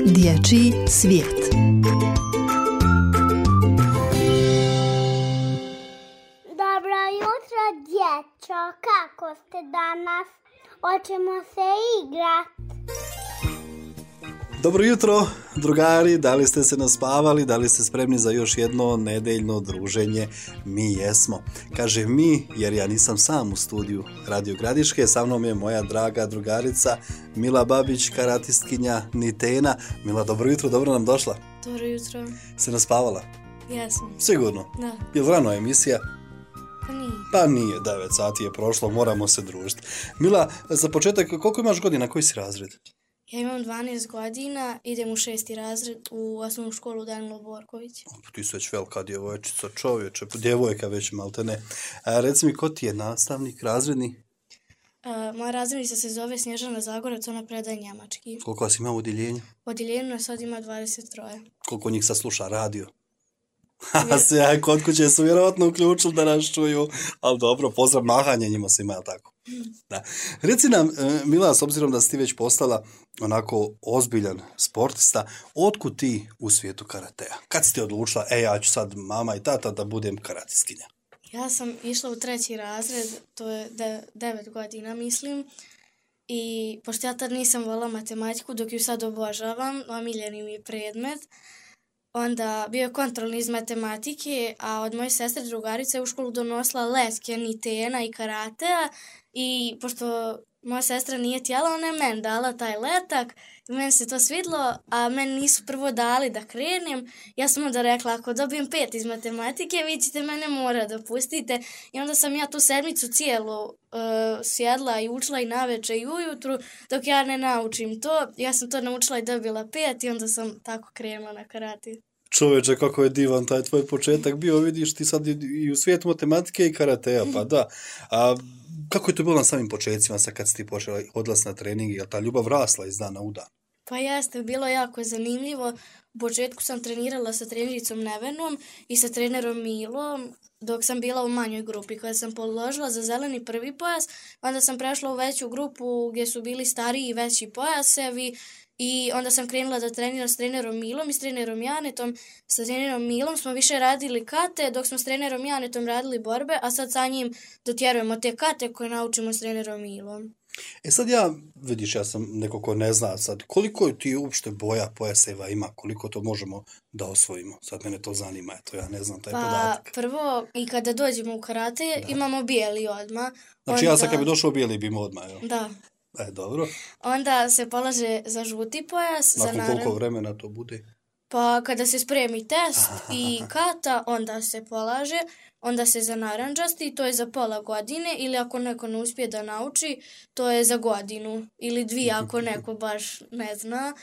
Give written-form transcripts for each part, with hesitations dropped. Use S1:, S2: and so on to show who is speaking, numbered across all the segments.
S1: Dječji svijet.
S2: Dobro jutro, dječo. Kako ste danas? Hoćemo se igrati.
S3: Dobro jutro, drugari, da li ste se naspavali, da li ste spremni za još jedno nedeljno druženje? Mi jesmo. Kaže mi, jer ja nisam sam u studiju Radio Gradiške, sa mnom je moja draga drugarica Mila Babić, karatistkinja Nitena. Mila, dobro jutro, dobro nam došla.
S4: Dobro jutro.
S3: Se naspavala?
S4: Jesam.
S3: Sigurno?
S4: Da.
S3: Je li rano emisija?
S4: Pa nije.
S3: Pa nije, 9 sati je prošlo, moramo se družiti. Mila, za početak, koliko imaš godina, koji si razred?
S4: Ja imam 12 godina, idem u 6. razred u osnovnu školu Danilo Borković.
S3: Ti si već velika djevojčica, čovječe, djevojka već maltene. Reci mi, ko ti je nastavnik razredni?
S4: Moja razrednica se zove Snježana Zagorac, ona predaje njemački.
S3: Koliko vas ima u odjeljenju?
S4: U odjeljenju nas sad ima 23.
S3: Koliko njih sad sluša radio? Ja, kod kuće su vjerovatno uključili da nas čuju, ali dobro, pozdrav, mahanje njima se ima, jel tako? Da. Reci nam, Mila, s obzirom da si ti već postala onako ozbiljan sportista, otkud ti u svijetu karatea? Kad si ti odlučila, ja ću sad mama i tata da budem karatistkinja?
S4: Ja sam išla u 3. razred, to je 9 godina mislim, i pošto ja tad nisam volila matematiku, dok ju sad obožavam, omiljeni mi je predmet, onda bio je kontrolni iz matematike, a od moje sestre drugarice je u školu donosila letke Nitena i karatea, i pošto moja sestra nije htjela, ona je meni dala taj letak i meni se to svidlo, a meni nisu prvo dali da krenem. Ja sam onda rekla, ako dobijem 5 iz matematike, vi ćete mene mora da pustite. I onda sam ja tu sedmicu cijelu sjedla i učila i naveče i ujutru, dok ja ne naučim to. Ja sam to naučila i dobila 5 i onda sam tako krenula na karate.
S3: Čovječe, kako je divan taj tvoj početak bio, vidiš ti sad i u svijetu matematike i karatea, pa da. A kako je to bilo na samim početcima, sad kad si ti počela odlaziti na trening, je li ta ljubav rasla iz dana u dan?
S4: Pa jeste, bilo jako zanimljivo. U početku sam trenirala sa trenericom Nevenom i sa trenerom Milom, dok sam bila u manjoj grupi. Kada sam položila za zeleni prvi pojas, onda sam prešla u veću grupu gdje su bili stariji i veći pojasevi, i onda sam krenula da treniram s trenerom Milom i s trenerom Janetom. Sa trenerom Milom smo više radili kate, dok smo s trenerom Janetom radili borbe, a sad sa njim dotjerujemo te kate koje naučimo s trenerom Milom.
S3: Sad vidiš, ja sam neko ko ne zna sad, koliko ti uopšte boja pojaseva ima, koliko to možemo da osvojimo? Sad mene to zanima, eto, ja ne znam taj podatak.
S4: Pa prvo, i kada dođemo u karate, imamo bijeli odmah.
S3: Znači ja sad kad bi došao bijeli bi imao odmah, jel?
S4: Da.
S3: Dobro.
S4: Onda se polaže za žuti pojas.
S3: Nakon koliko vremena to bude?
S4: Pa kada se spremi test i kata, onda se polaže, onda se za narandžasti, to je za pola godine, ili ako neko ne uspije da nauči, to je za godinu, ili 2 ako neko baš ne zna.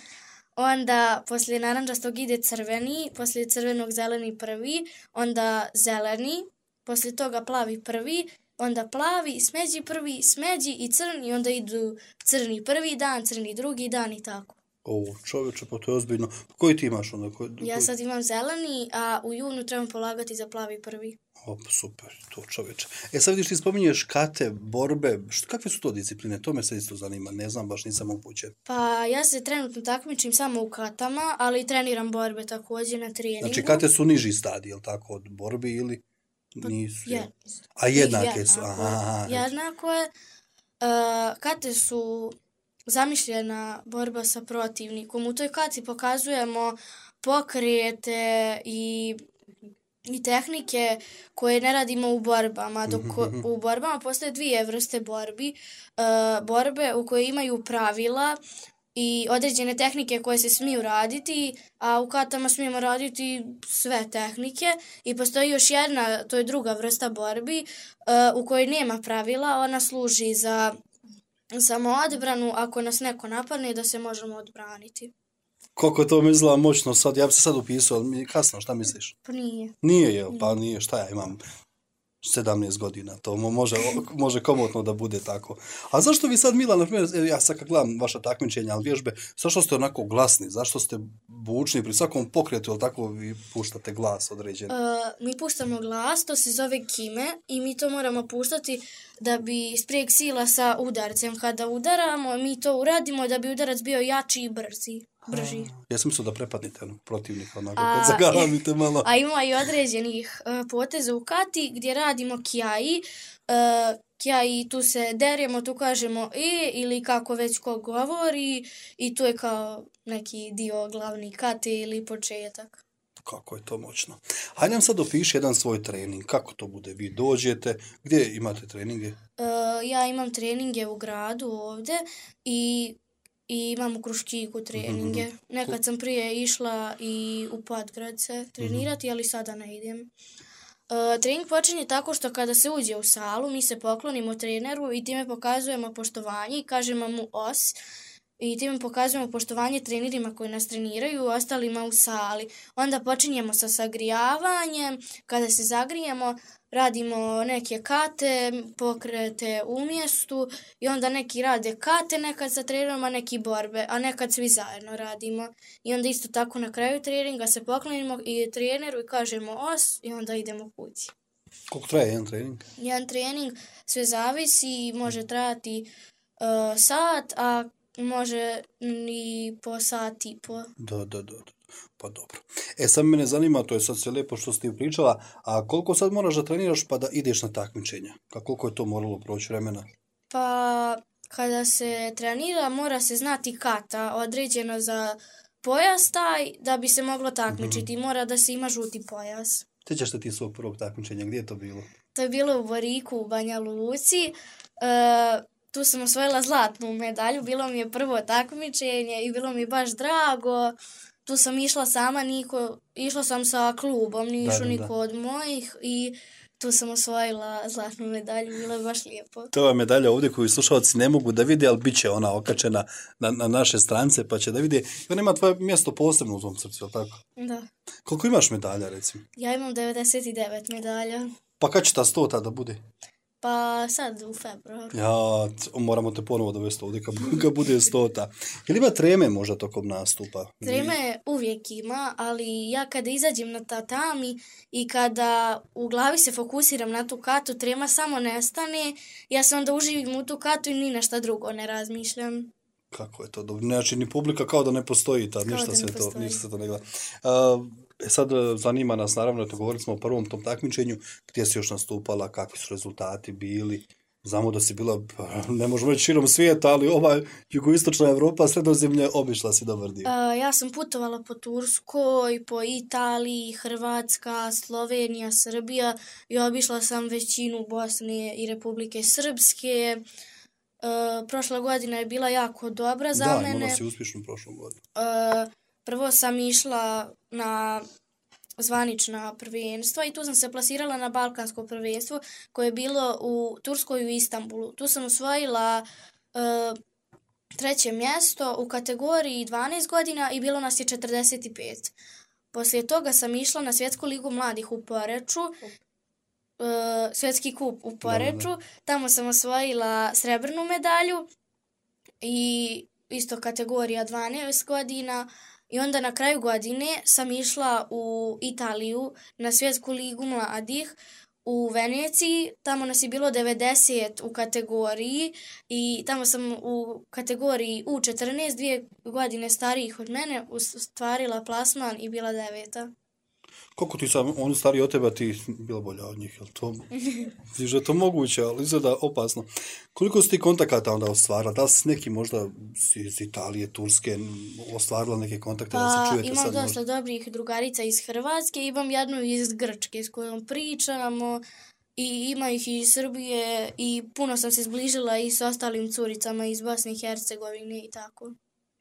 S4: Onda poslije narandžastog ide crveni, poslije crvenog zeleni prvi, onda zeleni, poslije toga plavi prvi, onda plavi, smeđi prvi, smeđi i crni, onda idu crni prvi dan, crni drugi dan i tako.
S3: Čovječe, pa to je ozbiljno. Koji ti imaš onda?
S4: Ja sad imam zeleni, a u junu trebam polagati za plavi prvi.
S3: Super, to čovječe. Sad vidiš, ti spominješ kate, borbe, kakve su to discipline? To me sad isto zanima, ne znam, baš nisam upućen.
S4: Pa ja se trenutno takmičim samo u katama, ali treniram borbe također na treningu.
S3: Znači kate su niži stadij, jel tako, od borbi ili nisu? A jednake su?
S4: Jednako je. Kate su zamišljena borba sa protivnikom. U toj kati pokazujemo pokrete i tehnike koje ne radimo u borbama. Dok u borbama postoje 2 vrste borbi. Borbe u koje imaju pravila i određene tehnike koje se smiju raditi, a u katama smijemo raditi sve tehnike. I postoji još jedna, to je druga vrsta borbi, u kojoj nema pravila. Ona služi za samoodbranu, ako nas neko napadne, da se možemo odbraniti.
S3: Koliko to mi izgleda moćno sad, ja bi se sad upisao, ali kasno, šta misliš?
S4: Pa nije.
S3: Nije, jel? Pa nije, šta ja imam? 17 godina, to može komotno da bude tako. A zašto vi sad, Mila, na primjer, ja sad kad gledam vaša takmičenja, ali vježbe, zašto ste onako glasni, zašto ste bučni pri svakom pokretu, ili tako vi puštate glas određen?
S4: Mi puštamo glas, to se zove kime, i mi to moramo puštati da bi sprijek sila sa udarcem. Kada udaramo, mi to uradimo da bi udarac bio jači i brzi. brži.
S3: Ja sam mislio da prepadnite onog protivnika, onako kad zagalamite malo.
S4: A ima i određenih poteza u kati gdje radimo kjai. Kjai, tu se deremo, tu kažemo ili kako već ko govori i tu je kao neki dio glavni kate ili početak.
S3: Kako je to moćno. Hajde nam sad opiši jedan svoj trening. Kako to bude? Vi dođete, gdje imate treninge?
S4: Ja imam treninge u gradu ovdje i imam u Kruščiku treninge. Nekad sam prije išla i u Podgrad se trenirati, ali sada ne idem. Trening počinje tako što kada se uđe u salu, mi se poklonimo treneru i time pokazujemo poštovanje i kažemo mu os. I time pokazujemo poštovanje trenerima koji nas treniraju i ostalima u sali. Onda počinjemo sa sagrijavanjem. Kada se zagrijemo, radimo neke kate, pokrete u mjestu i onda neki rade kate, nekad sa trenerom, a neki borbe, a nekad svi zajedno radimo. I onda isto tako na kraju treninga se poklonimo i treneru i kažemo os i onda idemo kući.
S3: Koliko traje jedan trening?
S4: Jedan trening sve zavisi, može trajati sat, a može i po sat i po.
S3: Da. Pa dobro. Sad mene zanima, to je sad sve lijepo što si ti pričala, a koliko sad moraš da treniraš pa da ideš na takmičenja? Koliko je to moralo proći vremena?
S4: Pa kada se trenira mora se znati kata određena za pojas taj da bi se moglo takmičiti. Mora da se ima žuti pojas.
S3: Sjećaš se ti svog prvog takmičenja? Gdje je to bilo?
S4: To je bilo u Boriku u Banja Luci. Tu sam osvojila zlatnu medalju, bilo mi je prvo takmičenje i bilo mi je baš drago. Tu sam išla sama, išla sam sa klubom, nije išao niko od mojih i tu sam osvojila zlatnu medalju, bilo je baš lijepo.
S3: To je medalja ovdje koju slušalci ne mogu da vide, ali bit će ona okačena na naše strance pa će da vide. I ona ima tvoje mjesto posebno u tom srcu, je li tako?
S4: Da.
S3: Koliko imaš medalja, recimo?
S4: Ja imam 99 medalja.
S3: Pa kad će ta 100 da bude?
S4: Pa sad u februaru.
S3: Ja, moramo te ponovo dovesti ovdje kad bude 100. Ili ima treme možda tokom nastupa?
S4: Treme uvijek ima, ali ja kada izađem na tatami i kada u glavi se fokusiram na tu katu, trema samo nestane. Ja se onda uživim u tu katu i ni na šta drugo ne razmišljam.
S3: Kako je to dobro? Znači, ni publika kao da ne postoji tad, ništa se to ne gleda. Sad zanima nas, naravno, govorili smo o prvom tom takmičenju, gdje si još nastupala, kakvi su rezultati bili. Znamo da si bila, ne možemo reći širom svijeta, ali jugoistočna Evropa, Sredozemlje, obišla si dobar dio.
S4: Ja sam putovala po Turskoj, po Italiji, Hrvatska, Slovenija, Srbija i obišla sam većinu Bosne i Republike Srpske. Prošla godina je bila jako dobra za mene.
S3: Da, imala si uspješnu prošlu godinu.
S4: Prvo sam išla na zvanična prvenstva i tu sam se plasirala na balkansko prvenstvo koje je bilo u Turskoj i u Istanbulu. Tu sam osvojila 3. mjesto u kategoriji 12 godina i bilo nas je 45. Poslije toga sam išla na Svjetsku ligu mladih u Poreču, Svjetski kup u Poreču. Tamo sam osvojila srebrnu medalju i isto kategorija 12 godina. I onda na kraju godine sam išla u Italiju na Svjetsku ligu mladih u Veneciji. Tamo nas je bilo 90 u kategoriji i tamo sam u kategoriji U14, 2 godine starijih od mene, ostvarila plasman i bila 9.
S3: Koliko ti sam, oni stariji od tebe, ti bila bolja od njih, je to moguće, ali izgleda opasno. Koliko si ti kontakata onda ostvarila? Da li si neki možda iz Italije, Turske ostvarila neke kontakte da se čujete sad?
S4: Imam dosta dobrih drugarica iz Hrvatske, imam jednu iz Grčke s kojom pričamo i ima ih iz Srbije i puno sam se zbližila i s ostalim curicama iz Bosne i Hercegovine i tako.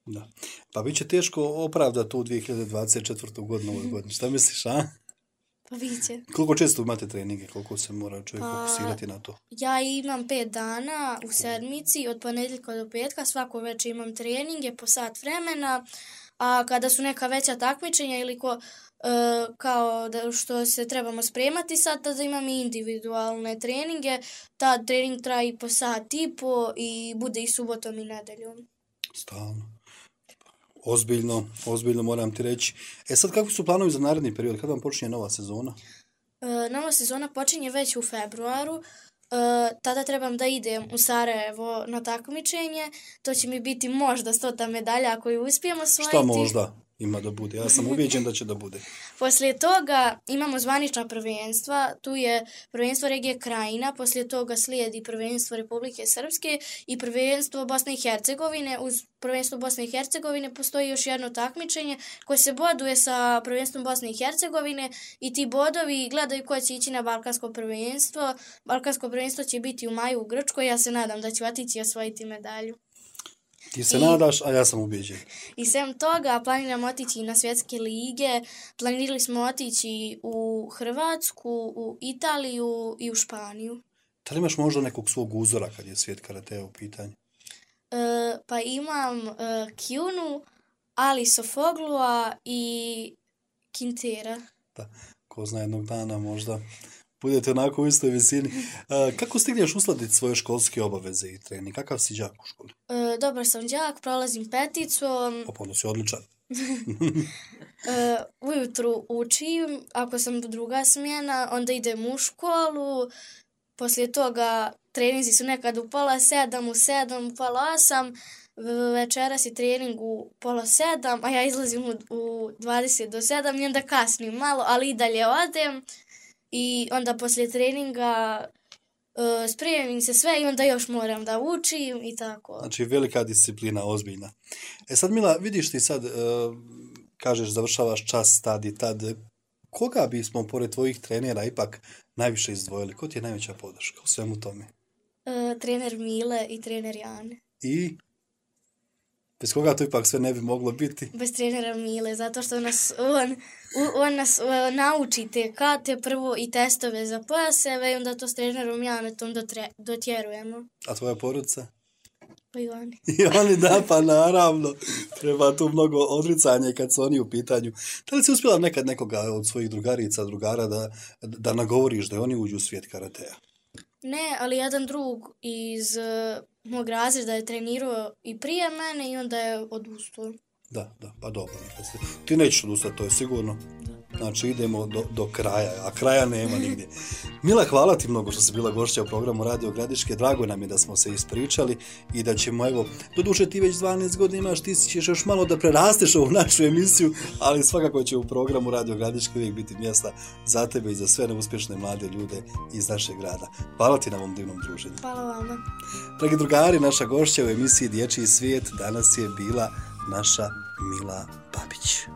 S3: Da. Pa bit će teško opravdati tu 2024. godinu ovoj godini. Šta misliš, a?
S4: Pa bit će.
S3: Koliko često imate treninge? Koliko se mora čovjek fokusirati na to?
S4: Ja imam 5 dana u sedmici, od ponedjeljka do petka. Svako večer imam treninge po sat vremena. A kada su neka veća takmičenja ili kao da što se trebamo spremati sad, tada imam i individualne treninge. Ta trening traje i po sat i po i bude i subotom i nedeljom.
S3: Stalno. Ozbiljno moram ti reći. Sad kakvi su planovi za naredni period? Kada vam počinje nova sezona?
S4: Nova sezona počinje već u februaru. tada trebam da idem u Sarajevo na takmičenje. To će mi biti možda 100. medalja ako ju uspijemo osvojiti.
S3: Šta možda ima da bude? Ja sam ubijeđen da će da bude.
S4: Poslije toga imamo zvanična prvenstva, tu je prvenstvo regije Krajina, poslije toga slijedi prvenstvo Republike Srpske i prvenstvo Bosne i Hercegovine. Uz prvenstvo Bosne i Hercegovine postoji još jedno takmičenje koje se boduje sa prvenstvom Bosne i Hercegovine i ti bodovi gledaju ko će ići na Balkansko prvenstvo. Balkansko prvenstvo će biti u maju u Grčkoj, ja se nadam da ću otići i osvojiti medalju.
S3: Ti se nadaš, a ja sam ubijeđen.
S4: I sem toga planiramo otići na svjetske lige, planirali smo otići u Hrvatsku, u Italiju i u Španiju.
S3: Da li imaš možda nekog svog uzora kad je svijet karatea u pitanju?
S4: Pa imam Kjunu, Ali Sofoglua i Kintera.
S3: Da, ko zna jednog dana možda budete onako u istoj visini. Kako stigneš uskladiti svoje školske obaveze i trening? Kakav si đak u školi?
S4: Dobar sam đak, prolazim peticom.
S3: Onda si odličan.
S4: Ujutru učim, ako sam druga smjena, onda idem u školu. Poslije toga treninzi su nekad u 6:30, u 7, u 8:30. Večeras je trening u 6:30, a ja izlazim u 20 do 7 i onda kasnim malo, ali i dalje odem. I onda poslije treninga spremim se sve i onda još moram da učim i tako.
S3: Znači velika disciplina, ozbiljna. Sad Mila, vidiš ti sad, kažeš završavaš čas tad i tad, koga bismo pored tvojih trenera ipak najviše izdvojili? Ko ti je najveća podrška u svemu tome?
S4: Trener Mile i trener Jane.
S3: I bez koga to ipak sve ne bi moglo biti?
S4: Bez trenera Mile, zato što on nas nauči te kate prvo i testove za pojaseve i onda to s trenerom Janetom dotjerujemo.
S3: A tvoja porodica?
S4: Pa i oni.
S3: I oni da, pa naravno. Treba tu mnogo odricanja kad su oni u pitanju. Da li si uspjela nekad nekoga od svojih drugarica, drugara da nagovoriš da oni uđu u svijet karatea?
S4: Ne, ali jedan drug iz mog razreda je trenirao i prije mene i onda je odustao.
S3: Da, pa dobro. Ti nećeš odustati, to je sigurno. Znači idemo do kraja, a kraja nema nigdje. Mila, hvala ti mnogo što si bila gošća u programu Radio Gradiške. Drago nam je da smo se ispričali i da ćemo, evo, doduše ti već 12 godina imaš, ti ćeš još malo da prerasteš ovu našu emisiju, ali svakako će u programu Radio Gradiške uvijek biti mjesta za tebe i za sve neuspješne mlade ljude iz našeg grada. Hvala ti na ovom divnom druženju.
S4: Hvala vama.
S3: Dragi drugari, naša gošća u emisiji Dječji svijet danas je bila naša Mila Babić.